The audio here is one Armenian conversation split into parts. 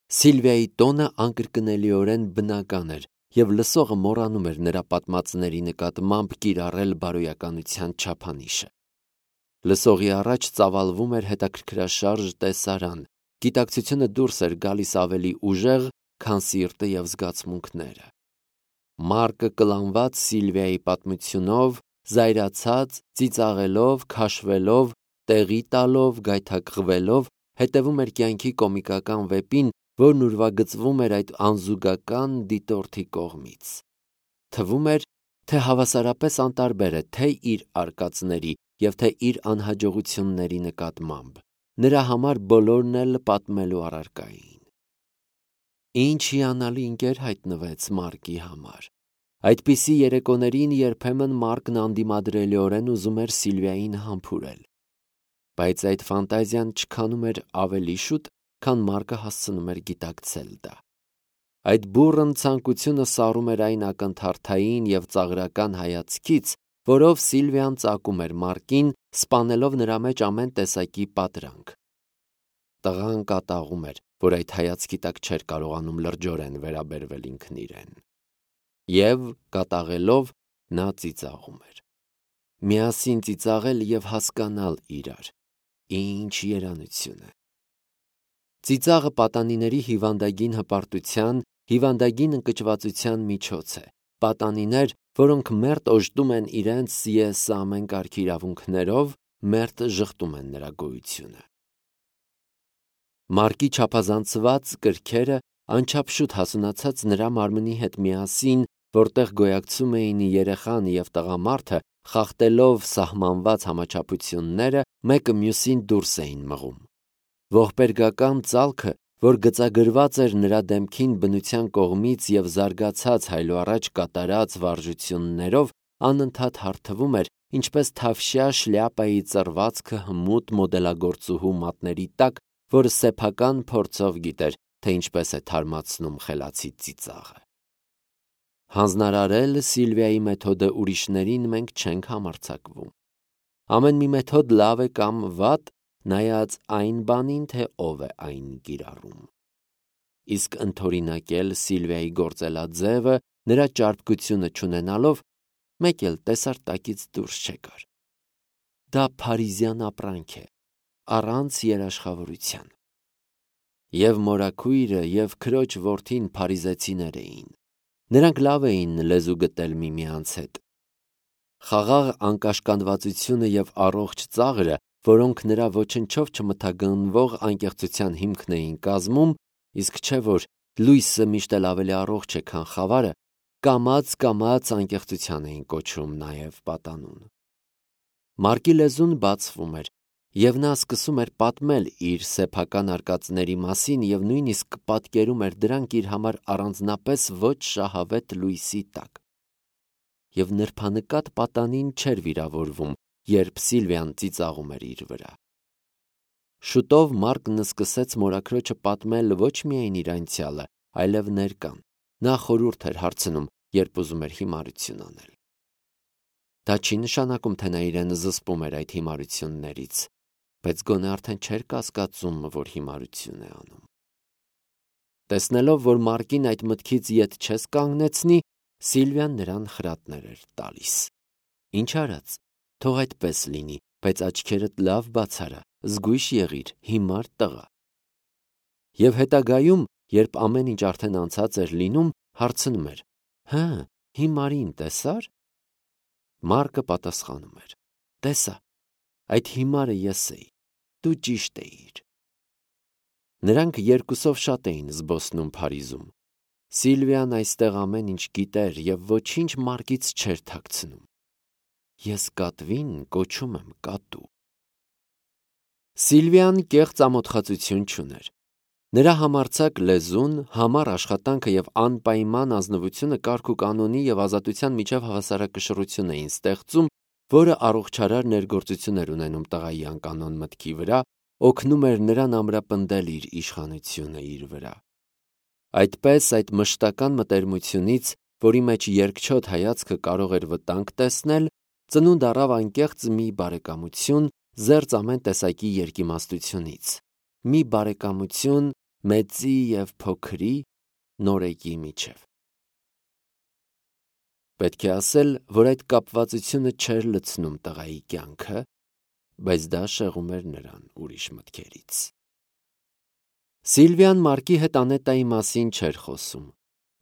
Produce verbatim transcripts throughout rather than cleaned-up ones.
Սիլվիայի տոնը անկրկնելիորեն բնական էր, և լսողը մոռանում էր նրա պատմածների նկատմամբ կիրառել բարոյականության չափանիշը։ Լսողի առաջ ծավալվում էր հետաքրքրաշարժ տեսարան, գիտակցությունը դուրս էր գալիս ավելի ուժեղ, քան սիրտը և զգացմունքները։ Մարկը կլանված Սիլվիայի պատմությունով, զայրացած, ծիծաղելով, քաշվելով, տեղի տալով, գայթակղվելով, հետևում էր կյանքի կոմիկական վեպին, որն ուրվագծվում էր այդ անզուգական դիտորդի կողմից։ Թվում էր, թե հավասարապես անտարբեր է թե իր արկածների և թե իր անհաջողությունների նկատմամբ։ Նրա համար բոլորն էլ պատմելու առարկա էին։ Ինչ հիանալի ընկեր հայտնվեց Մարկի համար։ Այդպիսի երեկոներին երբեմն Մարկն անդիմադրելիորեն ուզում էր Սիլվիային համբուրել։ Բայց այդ ֆանտազիան չքանում էր ավելի շուտ, քան Մարկը հասցնում էր գիտակցել դա։ Այդ բուռն ցանկությունը սառում էր այն ակնթարթային և ծաղրական հայացքից, որով Սիլվիան ծակում էր Մարկին, սպանելով նրա մեջ ամեն տեսակի պատրանք։ Տղան կատաղում էր, որ այդ հայացքի տակ չէր կարողանում լրջորեն վերաբերվել ինքն իրեն։ Եվ, կատաղելով, նա ծիծաղում էր։ Միասին ծիծաղել և հասկանալ իրար։ Ինչ երանություն է։ Ծիծաղը պատանիների հիվանդագին հպարտության, հիվանդագին ընկճվածության միջոց է։ Պատանիներ, որոնք մերթ օժտում են իրենց ես ամեն կարգի իրավունքներով, մերթ ժխտում են նրա գոյությունը։ Մարկի չափազանցված կրքերը անչափ շուտ հասունացած նրա մարմնի հետ միասին, որտեղ գոյակցում էին երեխան և տղամարդը, խախտելով սահմանված համաչափությունները, մեկը մյուսին դուրս էին մղում։ Ողբերգական ծալքը, որ գծագրված էր նրա դեմքին բնության կողմից և զարգացած հայլուառաջ կատարած վարժություններով, անընդհատ հարթվում էր, ինչպես թավշյա շլյապայի ծռվածքը հմուտ մոդելագործուհու մատների տակ, որը սեփական փորձով գիտեր, թե ինչպես է թարմացնում խելացի ծիծաղը։ Հանձնարարել Սիլվիայի մեթոդը ուրիշներին մենք չենք համարձակվում։ Ամեն մի մեթոդ լավ է կամ վատ, նայած այն բանին, թե ով է այն կիրառում։ Իսկ ընդօրինակել Սիլվիայի գործելաձևը, նրա ճարպկությունը չունենալով, մեկ էլ տեսարտակից դուրս չեկար։ Դա փարիզյան ապրանք է, առանց երաշխավորության։ Եվ մորաքույրը, և քրոջ որդին փարիզեցիներ էին։ Նրանք լավ էին լեզու գտել միմյանց հետ։ Խաղաղ անկաշկանդվածությունը և առողջ ծաղրը, որոնք նրա ոչնչով չմթագնվող անկեղծության հիմքն էին կազմում, իսկ չէ որ լույսը միշտ էլ ավելի առողջ է, քան խավարը, կամաց-կամաց անկեղծության էին կոչում նաև պատանուն։ Մարկի լեզուն բացվում էր, և նա սկսում էր պատմել իր սեփական արկածների մասին և նույնիսկ պատկերում էր դրանք իր համար առանձնապես ոչ շահավետ լույսի տակ։ Եվ նրբանկատ պատանին չէր վիրավորվում, երբ Սիլվիան ծիծաղում էր իր վրա։ Շուտով Մարկն սկսեց մորաքրոջը պատմել ոչ միայն իր անցյալը, այլև ներկան։ Նա խորհուրդ էր հարցնում, երբ ուզում էր հիմարություն անել։ Դա չի նշանակում, թե նա իրեն զսպում էր այդ հիմարություններից, բայց գոնե արդեն չէր կասկածում, որ հիմարություն է անում։ Տեսնելով, որ Մարկին այդ մտքից ետ չես կանգնեցնի, Սիլվիան նրան խրատներ էր տալիս։ Ինչ արած, թող այդպես լինի, բայց աչքերդ լավ բաց արա, զգույշ եղիր, հիմար տղա։ Եվ հետագայում, երբ ամեն ինչ արդեն անցած էր լինում, հարցնում էր. «Հը, հիմարին տեսա՞ր»։ Մարկը պատասխանում էր. «Տեսա, այդ հիմարը ես էի, դու ճիշտ էիր»։ Նրանք երկուսով շատ էին զբոսնում Փարիզում։ Սիլվիան այստեղ ամեն ինչ գիտեր և ոչինչ Մարկից չէր թաքցնում։ Ես կատվին կոչում եմ կատու։ Սիլվիան կեղծ ամոթխածություն չուներ։ Նրա համարձակ լեզուն, համառ աշխատանքը և անպայման ազնվությունը կարգ ու կանոնի և ազատության միջև հավասարակշռություն էին ստեղծում, որը առողջարար ներգործություն էր ունենում տղայի անկանոն մտքի վրա, օգնում էր նրան ամրապնդել իր իշխանությունը իր վրա։ Այդպես այդ մշտական մտերմությունից, որի մեջ երկչոտ հայացքը կարող էր վտանգ տեսնել, ծնունդ առավ անկեղծ մի բարեկամություն, զերծ ամեն տեսակի երկիմաստությունից։ Մի բարեկամություն, մեծի և փոքրի, նորեկի միջև։ Պետք է ասել, որ այդ կապվածությունը չէր լցնում տղայի կյանքը, բայց դա շեղում էր նրան ուրիշ մտքերից։ Սիլվիան Մարկի հետ Անետայի մասին չէր խոսում։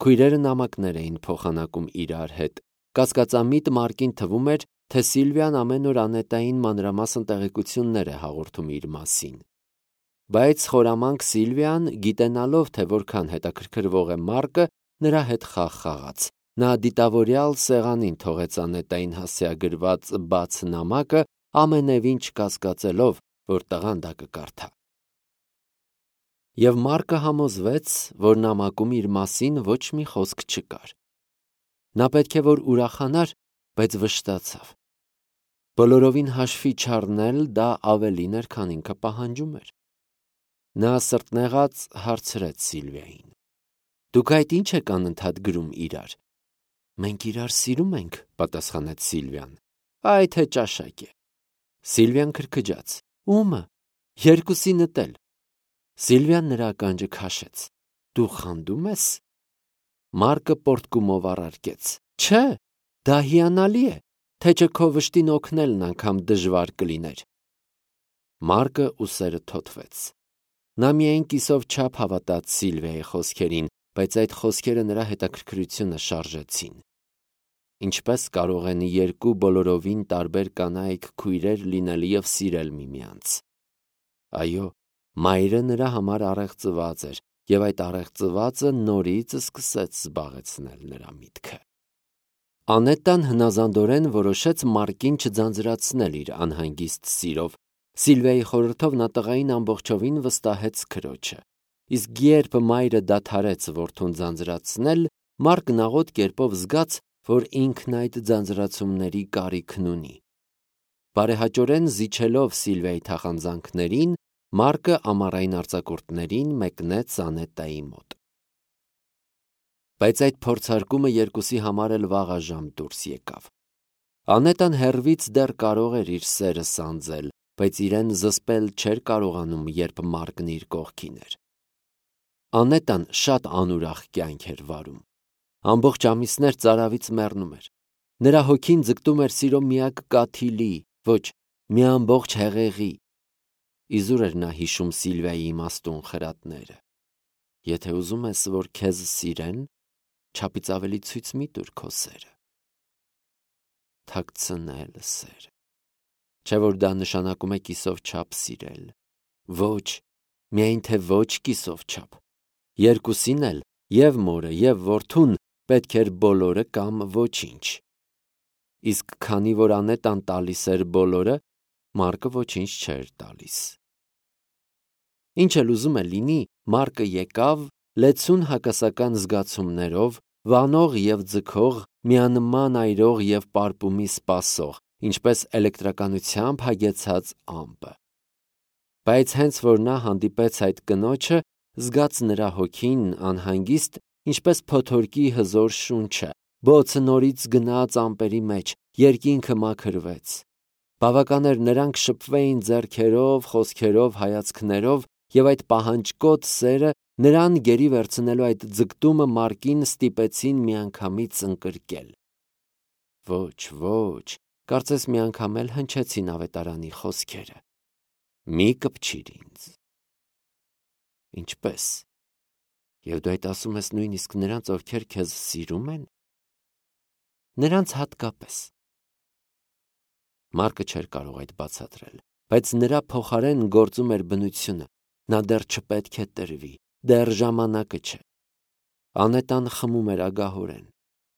Քույրերը նամակներ էին փոխանակում իրար հետ։ Կասկածամիտ Մարկին թվում էր, թե Սիլվիան ամեն օր Անետային մանրամասն տեղեկություններ է հաղորդում իր մասին։ Բայց խորամանկ Սիլվիան, գիտենալով, թե որքան հետաքրքրվող է Մարկը, նրա հետ խաղ խաղաց։ Նա դիտավորյալ սեղանին թողեց Անետային հասցեագրված բաց նամակը, ամենևին չկասկածելով, որ տղան դա կկարդա։ Եվ Մարկը համոզվեց, որ նամակում իր մասին ոչ մի խոսք չկար։ Նա պետք է որ ուրախանար, բայց վշտացավ։ Բոլորովին հաշվի չառնել դա ավելին էր, քան ինքը պահանջում էր։ Նա սրտնեղած հարցրեց Սիլվիային. «Դուք այդ ինչ եք անընդհատ գրում իրար»։ «Մենք իրար սիրում ենք», պատասխանեց Սիլվիան։ «Այ թե ճաշակ է»։ Սիլվիան քրքջաց. «Ումը»։ «Երկուսինդ էլ»։ Սիլվիան նրա ականջը քաշեց. «Դու խանդում ես»։ Մարկը պոռթկումով առարկեց. «Չէ, դա հիանալի է, թե չէ քո վշտին օգնելն անգամ դժվար կլիներ»։ Մարկը ուսերը թոթվեց։ Նա միայն կիսով չափ հավատաց Սիլվիայի խոսքերին, բայց այդ խոսքերը նրա հետաքրքրությունը շարժեցին։ Ինչպես կարող են երկու բոլորովին տարբեր կանայք քույրեր լինել և սիրել միմյանց։ Այո, մայրը նրա համար առեղծված էր, և այդ առեղծվածը նորից սկսեց զբաղեցնել նրա միտքը։ Անետան հնազանդորեն որոշեց Մարկին չձանձրացնել իր անհանգիստ սիրով։ Սիլվիայի խորհրդով նա տղային ամբողջովին վստահեց քրոջը։ Իսկ երբ մայրը դադարեց որդուն ձանձրացնել, Մարկն աղոտ կերպով զգաց, որ ինքն այդ ձանձրացումների կարիքն ունի։ Բարեհաճորեն զիջելով Սիլվիայի թախանձանքներին, Մարկը ամառային արձակուրդներին մեկնեց Անետայի մոտ։ Բայց այդ փորձարկումը երկուսի համար էլ վաղաժամ դուրս եկավ։ Անետան հեռվից դեռ կարող էր իր սերը սանձել, բայց իրեն զսպել չէր կարողանում, երբ Մարկն իր կողքին էր։ Անետան շատ անուրախ կյանք էր վարում։ Ամբողջ ամիսներ ծարավից մեռնում էր։ Նրա հոգին ձգտում էր սիրո միակ կաթիլի, ոչ, մի ամբողջ հեղեղի։ Իզուր էր նա հիշում Սիլվիայի իմաստուն խրատները։ Եթե ուզում ես, որ քեզ սիրեն, չափից ավելի ցույց մի տուր քո սերը։ Թաքցնել սերը։ Չէ՞ որ դա նշանակում է կիսով չափ սիրել։ Ոչ, միայն թե ոչ կիսով չափ։ Երկուսին էլ, և մորը, և որդուն, պետք էր բոլորը կամ ոչինչ։ Իսկ քանի որ Անետան տալիս էր բոլորը, Մարկը ոչինչ չէր տալիս։ Ինչ էլ ուզում է լինի, Մարկը եկավ, լեցուն հակասական զգացումներով, վանող և ձգող, միանման այրող և պարպումի սպասող, ինչպես էլեկտրականությամբ հագեցած ամպը։ Բայց հենց որ նա հանդիպեց այդ կնոջը, զգաց նրա հոգին անհանգիստ, ինչպես փոթորկի հզոր շունչը, բոցը նորից գնաց ամպերի մեջ, երկինքը մաքրվեց։ Բավական էր նրանք շփվեին ձեռքերով, խոսքերով, հայացքներով, և այդ պահանջկոտ սերը, նրան գերի վերցնելու այդ ձգտումը Մարկին ստիպեցին միանգամից ընկրկել։ Ոչ, ոչ, կարծես մի անգամ էլ հնչեցին ավետարանի խոսքերը. «Մի կպչիր ինձ»։ Ինչպե՞ս։ Եվ դու այդ ասում ես նույնիսկ նրանց, ովքեր քեզ սիրում են։ Նրանց հատկապես։ Մարկը չէր կարող այդ բացատրել, բայց նրա փոխարեն գործում էր բնությունը։ Նա դեռ չպետք է տրվի, դեռ ժամանակը չէ։ Անետան խմում էր ագահորեն։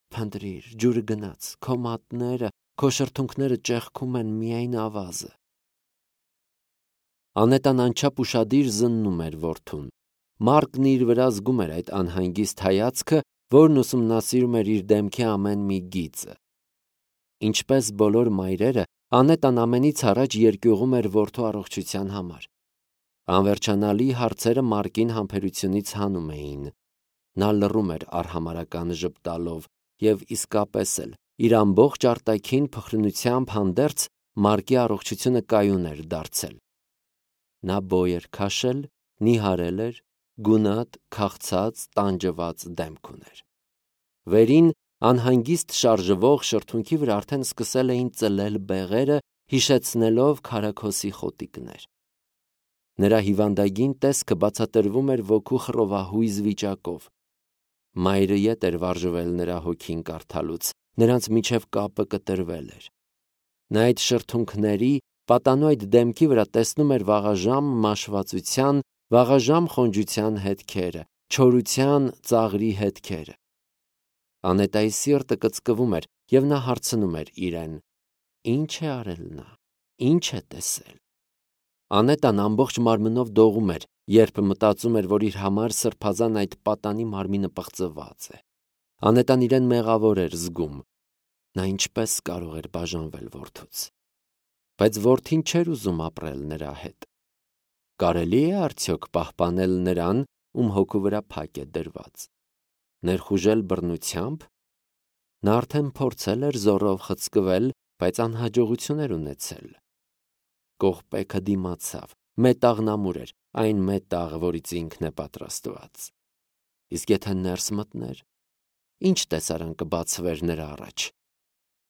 Փնտրիր, ջուրը գնաց, քո մատները, քո շրթունքները ճեղքում են միայն ավազը։ Անետան անչափ ուշադիր զննում էր որդուն։ Մարկն իր վրա զգում էր այդ անհանգիստ հայացքը, որն ուսումնասիրում էր իր դեմքի ամեն մի գիծը։ Ինչպես բոլոր մայրերը, Անետան ամենից առաջ երկյուղում էր որդու առողջության համար։ Անվերջանալի հարցերը Մարկին համբերությունից հանում էին։ Նա լռում էր արհամարհական ժպտալով և իսկապես էլ իր ամբողջ արտաքին փխրունությամբ հանդերձ Մարկի առողջությունը կայուն էր դարձել։ Նա բոյ էր քաշել, նիհարել էր, գունատ, քաղցած, տանջված դեմք ուներ։ Վերին անհանգիստ շարժվող շրթունքի վրա արդեն սկսել էին ծլել բեղերը, հիշեցնելով քարաքոսի խոտիկներ։ Նրա հիվանդագին տեսքը բացատրվում էր ոգու խռովահույզ վիճակով։ Մայրը ետ էր վարժվել նրա հոգին կարդալուց, նրանց միջև կապը կտրվել էր։ Նա այդ շրթունքների, պատանու այդ դեմքի վրա տեսնում էր վաղաժամ մաշվածության, վաղաժամ խոնջության հետքերը, չորության, ծաղրի հետքերը։ Անետայի սիրտը կծկվում էր, և նա հարցնում էր իրեն. ինչ է արել նա, ինչ է տեսել։ Անետան ամբողջ մարմնով դողում էր, երբ մտածում էր, որ իր համար սրբազան այդ պատանի մարմինը պղծված է։ Անետան իրեն մեղավոր էր զգում։ Նա ինչպես կարող էր բաժանվել որդուց։ Բայց որդին չէր ուզում ապրել նրա հետ։ Կարելի է արդյոք պահպանել նրան, ում հոգու վրա փակ է դրված։ Ներխուժել բռնությամբ։ Նա արդեն փորձել էր զոռով խցկվել, բայց անհաջողություն էր ունեցել։ Կողպեքը դիմացավ, մետաղնամուր էր, այն մետաղ, որից ինքն է պատրաստված։ Իսկ եթե ներս մտներ, ինչ տեսարան կբացվեր նրա առաջ։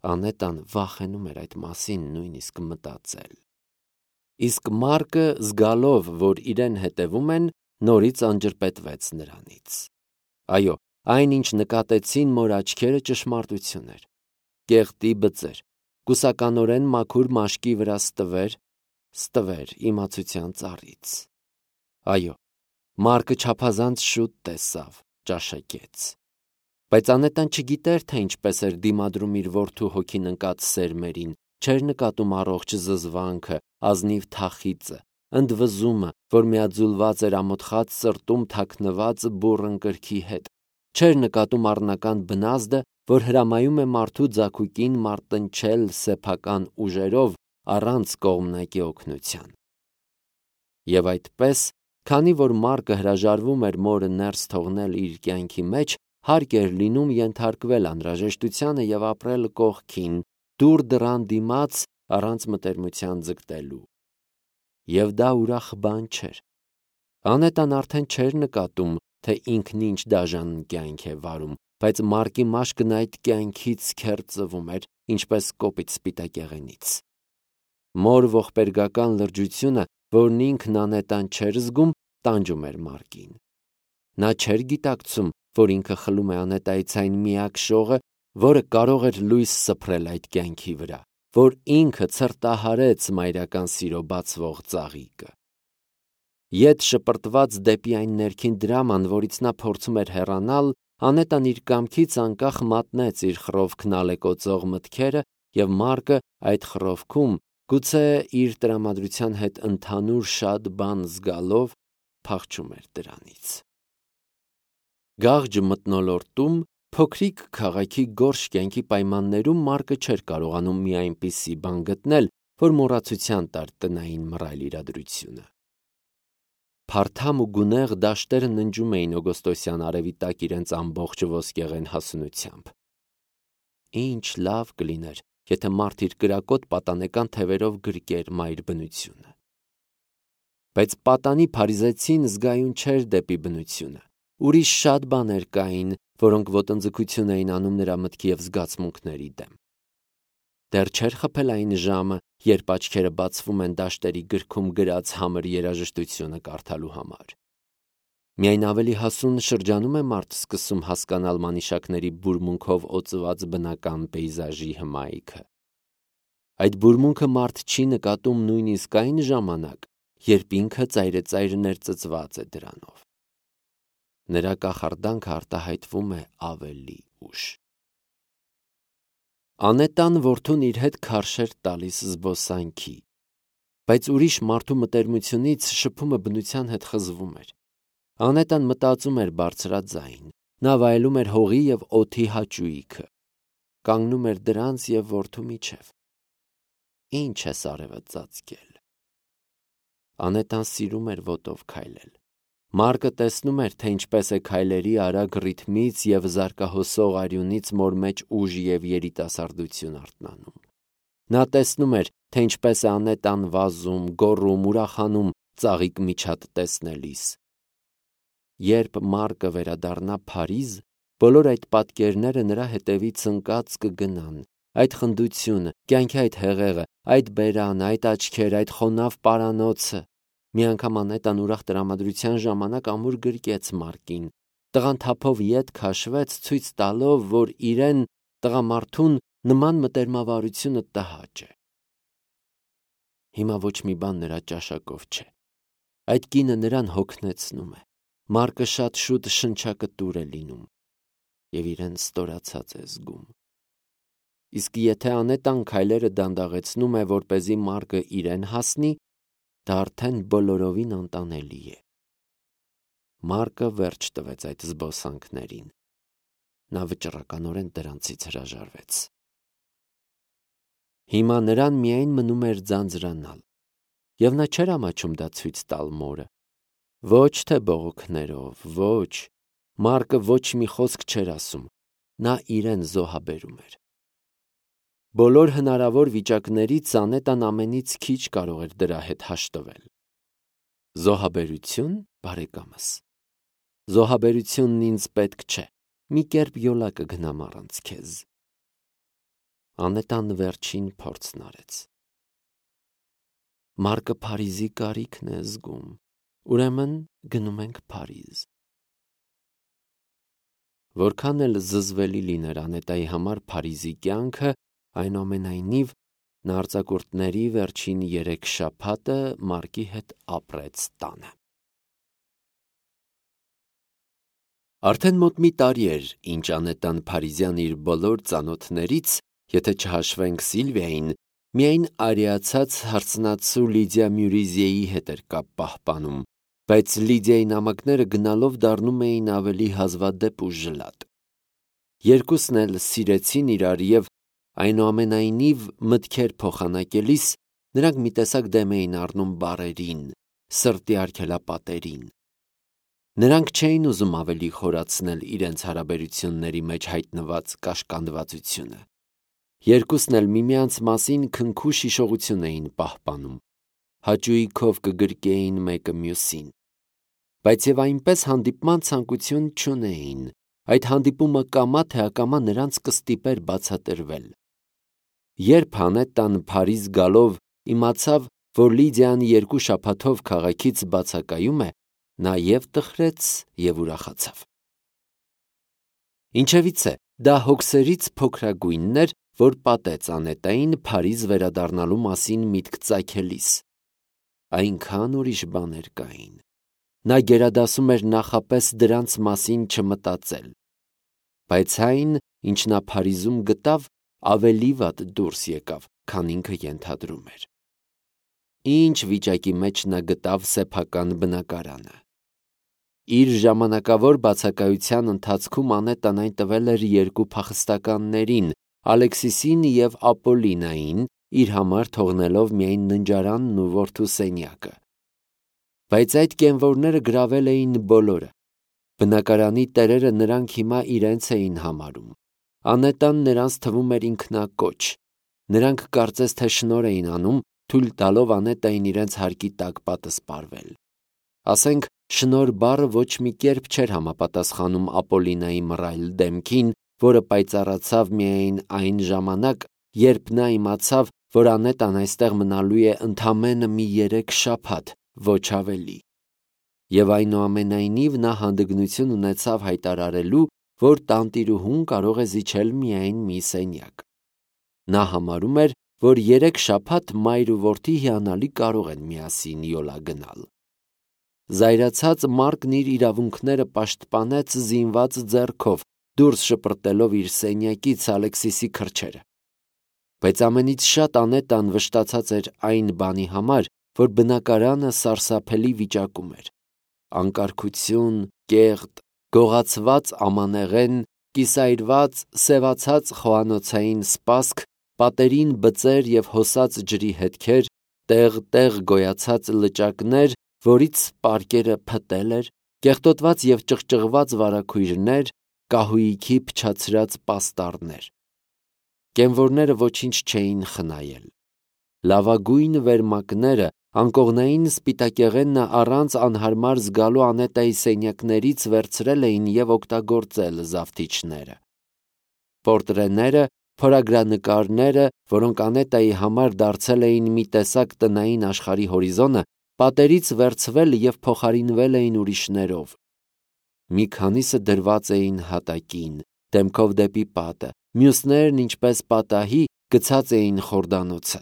Անետան վախենում էր այդ մասին նույնիսկ մտածել։ Իսկ Մարկը, զգալով, որ իրեն հետևում են, նորից անջրպետվեց նրանից։ Այո, այն, ինչ նկատեցին մոր աչքերը, ճշմարտություն էր։ Կեղտի բծեր, կուսականորեն մաքուր մաշկի վրա ստվեր, ստվեր իմացության ծառից։ Այո, Մարկը չափազանց շուտ տեսավ, ճաշակեց։ Բայց Անետան չգիտեր, թե ինչպես էր դիմադրում իր որդու հոգին ընկած սերմերին, չէր նկատում առողջ զզվանքը, ազնիվ թախիծը, ընդվզումը, որ միաձուլված էր ամոթխած սրտում թաքնված բուռն կրքի հետ, չէր նկատում առնական բնազդը, որ հրամայում է մարդու ձագուկին մարտնչել սեփական ուժերով առանց կողմնակի օգնության։ Եվ այդպես, քանի որ Մարկը հրաժարվում էր մորը ներս թողնել իր կյանքի մեջ, հարկ էր լինում ենթարկվել անհրաժեշտությանը և ապրել կողքին, դուր դռան դիմաց առանց մտերմության ձգտելու։ Եվ դա ուրախ բան չէր։ Անետան արդեն չէր նկատում, թե ինքն ինչ դաժան կյանք է վարում, բայց Մարկի մաշկն այդ կյանքից քերծվում էր, ինչպես կոպիտ սպիտակեղենից։ Մոր ողբերգական լրջությունը, որն ինքն Անետան չէր զգում, տանջում էր Մարկին։ Նա չէր գիտակցում, որ ինքը խլում է Անետայից այն միակ շողը, որը կարող էր լույս սփռել այդ կյանքի վրա, որ ինքը ցրտահարեց մայրական սիրո բացվող ծաղիկը։ Ետ շպրտված դեպի այն ներքին դրաման, որից նա փորձում էր հեռանալ, Անետան իր կամքից անկախ մատնեց իր խռովքն ալեկոծող մտքերը, և Մարկը այդ խռովքում, գուցե իր տրամադրության հետ ընդհանուր շատ բան զգալով, փախչում էր դրանից։ Գաղջ մթնոլորտում, փոքրիկ քաղաքի գորշ կյանքի պայմաններում Մարկը չէր կարողանում մի այնպիսի բան գտնել, որ մոռացության տար տնային մռայլ իրադրությունը։ Փարթամ ու գունեղ դաշտերը ննջում էին օգոստոսյան արևի տակ իրենց ամբողջ ոսկեղեն հասունությամբ։ Ինչ լավ կլիներ, եթե մարդ իր կրակոտ պատանեկան թևերով գրկեր մայր բնությունը։ Բայց պատանի փարիզեցին զգայուն չէր դեպի բնությունը։ Ուրիշ շատ բաներ կային, որոնք ոտնձգություն էին անում նրա մտքի և զգացմունքների դեմ։ Դեռ չէր խփել այն ժամը, երբ աչքերը բացվում են դաշտերի գրքում գրած համր երաժշտությունը կարդալու համար։ Միայն ավելի հասուն շրջանում է մարդ սկսում հասկանալ մանիշակների բուրմունքով օծված բնական պեյզաժի հմայքը։ Այդ բուրմունքը մարդ չի նկատում նույնիսկ այն ժամանակ, երբ ինքը ծայրծայր ներծծված է դրանով։ Նրա կախարդանքը արտահայտվում է ավելի ուշ։ Անետան որդուն իր հետ քարշ էր տալիս զբոսանքի, բայց ուրիշ մարդու մտերմությունից շփումը բնության հետ խզվում էր։ Անետան մտածում էր բարձրաձայն, նա վայելում էր հողի և օդի հաճույքը, կանգնում էր դրանց և որդու միջև։ Ինչ է արևը ծածկել։ Անետան սիրում էր ոտով քայլել։ Մարկը տեսնում էր, թե ինչպես է քայլերի արագ ռիթմից և զարկահոսող արյունից մոր մեջ ուժ և երիտասարդություն արթնանում։ Նա տեսնում էր, թե ինչպես է Անետան վազում, գոռում, ուրախանում ծաղիկ միջատ տեսնելիս։ երբ Մարկը վերադառնա Փարիզ, բոլոր այդ պատկերները նրա հետևից ընկած կգնան, այդ խնդությունը, կյանքի այդ հեղեղը, այդ բերանը, այդ աչքերը, այդ խոնավ պարանոցը։ Մի անգամ Անետան ուրախ տրամադրության ժամանակ ամուր գրկեց Մարկին։ Տղան թափով ետ քաշվեց, ցույց տալով, որ իրեն, տղամարդուն, նման մտերմավարությունը տհաճ է։ Հիմա ոչ մի բան նրա ճաշակով չէ։ Այդ կինը նրան հոգնեցնում է։ Մարկը շատ շուտ շնչակտուր է լինում և իրեն ստորացած է զգում։ Իսկ եթե Անետան քայլերը դանդաղեցնում է, որպեսզի Մարկը իրեն հասնի, դա արդեն բոլորովին անտանելի է։ Մարկը վերջ տվեց այդ զբոսանքներին։ Նա վճռականորեն դրանցից հրաժարվեց։ Հիմա նրան միայն մնում էր ձանձրանալ, և նա չէր ամաչում դա ցույց տալ մորը։ Ոչ թե բողոքներով, ոչ, Մարկը ոչ մի խոսք չէր ասում, նա իրեն զոհաբերում էր։ Բոլոր հնարավոր վիճակներից Անետան ամենից քիչ կարող էր դրա հետ հաշտվել։ Զոհաբերություն, բարեկամս։ Զոհաբերությունն ինձ պետք չէ, մի կերպ յոլա կգնամ առանց քեզ։ Անետան վերջին փորձն արեց։ Մարկը Փարիզի կարիքն է զգում, ուրեմն գնում ենք Փարիզ։ Որքան էլ զզվելի լիներ Անետայի համար Փարիզի կյանքը, այնուամենայնիվ նա արձակուրդների վերջին երեք շաբաթը Մարկի հետ ապրեց տանը։ Արդեն մոտ մի տարի էր, ինչ Անետան Փարիզյան իր բոլոր ծանոթներից, եթե չհաշվենք Սիլվիային, միայն արիացած հարցնացու Լիդիա Մյուրիզիեի հետ էր կապ պահպանում, բայց Լիդիայի նամակները գնալով դառնում էին ավելի հազվադեպ ու ժլատ։ Երկուսն էլ սիրեցին իրար և այնուամենայնիվ մտքեր փոխանակելիս նրանք մի տեսակ դեմ էին առնում բառերին, սրտի արգելապատերին։ Նրանք չէին ուզում ավելի խորացնել իրենց հարաբերությունների մեջ հայտնված կաշկանդվածությունը։ Երկուսն էլ միմյանց մասին քնքուշ հիշողություն էին պահպանում, հաճույքով կգրկեին մեկը մյուսին, բայց և այնպես հանդիպման ցանկություն չունեին, այդ հանդիպումը կամա թե ակամա նրանց կստիպեր բացատրվել։ Երբ Անետան Փարիզ գալով իմացավ, որ Լիդիան երկու շաբաթով քաղաքից բացակայում է, նա և տխրեց և ուրախացավ։ Ինչևից է, դա հոգսերից փոքրագույնն էր, որ պատեց Անետային Փարիզ վերադառնալու մասին միտք ծագելիս։ Այնքան ուրիշ բաներ կային։ Նա գերադասում էր նախապես դրանց մասին չմտածել։ Բայց այն, ինչ նա Փարիզում գտավ, ավելի վատ դուրս եկավ, քան ինքը ենթադրում էր։ Ինչ վիճակի մեջ նա գտավ սեփական բնակարանը։ Իր ժամանակավոր բացակայության ընթացքում Անետան այն տվել էր երկու փախստականներին, Ալեքսիսին և Ապոլլինային, իր համար թողնելով միայն ննջարանն ու որդու սենյակը։ Բայց այդ կենվորները գրավել էին բոլորը։ Բնակարանի տերերը նրանք հիմա իրենց էին համարում։ Անետան նրանց թվում էր ինքնակոչ։ Նրանք կարծես թե շնորհ էին անում, թույլ տալով Անետային իրենց հարկի տակ պատսպարվել։ Ասենք, շնորհ բառը ոչ մի կերպ չէր համապատասխանում Ապոլլինայի մռայլ դեմքին, որը պայծառացավ միայն այն ժամանակ, երբ նա իմացավ, որ Անետան այստեղ մնալու է ընդամենը մի երեք շաբաթ, ոչ ավելի։ Եվ այնուամենայնիվ նա հանդգնություն ունեցավ հայտարարելու, որ տանտիրուհուն կարող է զիջել միայն մի սենյակ։ Նա համարում էր, որ երեք շաբաթ մայր ու որդի հիանալի կարող են միասին յոլա գնալ։ Զայրացած Մարկն իր իրավունքները պաշտպանեց զինված ձեռքով, դուրս շպրտելով իր սենյակից Ալեքսիսի քրջերը։ Բայց ամենից շատ Անետան վշտացած էր այն բանի համար, որ բնակարանը սարսափելի վիճակում էր։ Անկարգություն, կեղտ, գողացված ամանեղեն, կիսայրված, սևացած խոհանոցային սպասք, պատերին բծեր և հոսած ջրի հետքեր, տեղ-տեղ գոյացած լճակներ, որից պարկերը փտել էր, կեղտոտված և ճղճղված վարագույրներ, կահույքի փչացրած պաստառներ։ Կենվորները ոչինչ չէին խնայել։ Լավագույն վերմակները, անկողնային սպիտակեղենը առանց անհարմար զգալու Անետայի սենյակներից վերցրել էին և օգտագործել զավթիչները։ Պորտրեները, փորագրանկարները, որոնք Անետայի համար դարձել էին մի տեսակ տնային աշխարհի հորիզոնը, պատերից վերցվել և փոխարինվել էին ուրիշներով։ Մի քանիսը դրված էին հատակին, դեմքով դեպի պատը, մյուսներն, ինչպես պատահի, գցած էին խորդանոցը։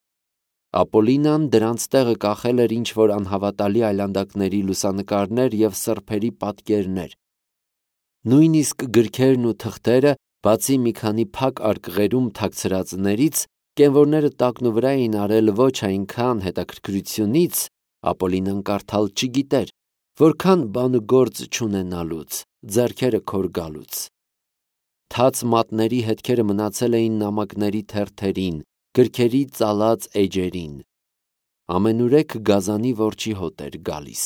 Ապոլինան դրանց տեղը կախել էր ինչ-որ անհավատալի այլանդակների լուսանկարներ և սրբերի պատկերներ։ Նույնիսկ գրքերն ու թղթերը, բացի մի քանի փակ արկղերում թաքցրածներից, կենվորները տակնուվրա էին արել ոչ այնքան հետաքրքրությունից, Ապոլինան կարդալ չգիտեր, որքան բան ու գործ չունենալուց, ձեռքերը քոր գալուց։ Թաց մատների հետքերը մնացել էին նամակների թերթերին, գրքերի ծալած էջերին։ Ամենուրեք գազանի որջի հոտ էր գալիս։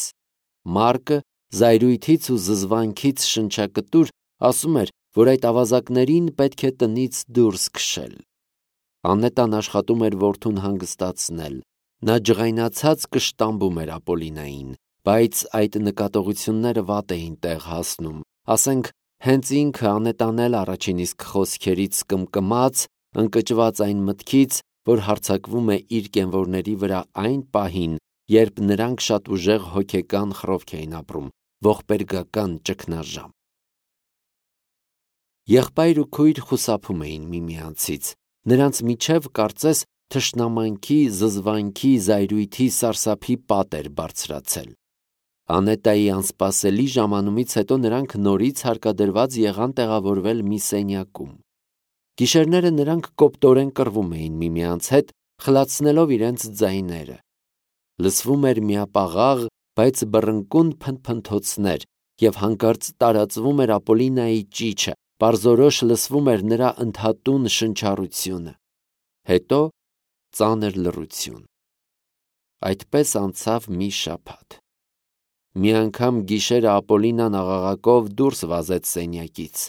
Մարկը զայրույթից ու զզվանքից շնչակտուր ասում էր, որ այդ ավազակներին պետք է տնից դուրս քշել։ Անետան աշխատում էր որդուն հանգստացնել։ Նա ջղայնացած կշտամբում էր Ապոլինային, բայց այդ նկատողությունները վատ էին տեղ հասնում, ասենք, հենց ինքը Անետան էլ առաջին իսկ խոսքերից կմկմաց, ընկճված այն մտքից, որ հարձակվում է իր կենվորների վրա այն պահին, երբ նրանք շատ ուժեղ հոգեկան խռովք էին ապրում, ողբերգական ճգնաժամ։ Եղբայր ու քույր խուսափում էին միմյանցից, նրանց միջև կարծես թշնամանքի, զզվանքի, զայրույթի, սարսափի պատ էր բարձրացել։ Անետայի անսպասելի ժամանումից հետո նրանք նորից հարկադրված եղան տեղավորվել մի սենյակում։ Գիշերները նրանք կոպտորեն կռվում էին միմյանց հետ, խլացնելով իրենց ձայները։ Լսվում էր միապաղաղ, բայց բռնկուն փնթփնթոցներ, և հանկարծ տարածվում էր Ապոլինայի ճիչը, պարզորոշ լսվում էր նրա ընդհատուն շնչառությունը։ Հետո ծանր լռություն։ Այդպես անցավ մի շաբաթ։ Մի անգամ գիշերը Ապոլինան աղաղակով դուրս վազեց սենյակից։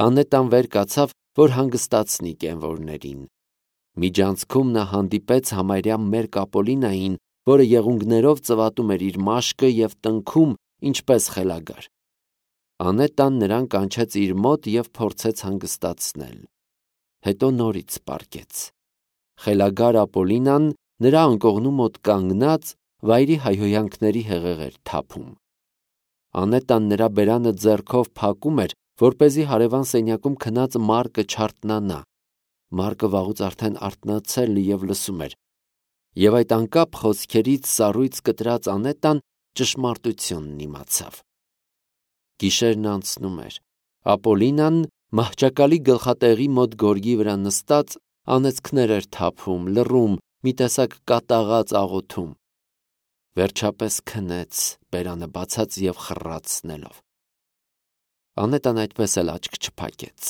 Անետան վեր կացավ, որ հանգստացնի կենվորներին։ Միջանցքում նա հանդիպեց համարյա մերկ Ապոլինային, որը եղունգներով ծվատում էր իր մաշկը և տնքում, ինչպես խելագար։ Անետան նրան կանչեց իր մոտ և փորձեց հանգստացնել։ Հետո նորից պառկեց։ Խելագար Ապոլինան նրա անկողնու մոտ կանգնած վայրի հայհոյանքների հեղեղ էր թափում։ Անետան նրա բերանը ձեռքով փակում էր, որպեսզի հարևան սենյակում քնած Մարկը չարթնանա։ Մարկը վաղուց արդեն արթնացել և լսում էր։ Եվ այդ անկապ խոսքերից սառույց կտրած Անետան ճշմարտությունն իմացավ։ Գիշերն անցնում էր։ Ապոլինան մահճակալի գլխատեղի մոտ գորգի վրա նստած անեծքներ էր թափում, լռում, մի տեսակ կատաղած աղոթում։ Վերջապես քնեց, բերանը բացած և խռացնելով։ Անետան այդպես էլ աչք չփակեց։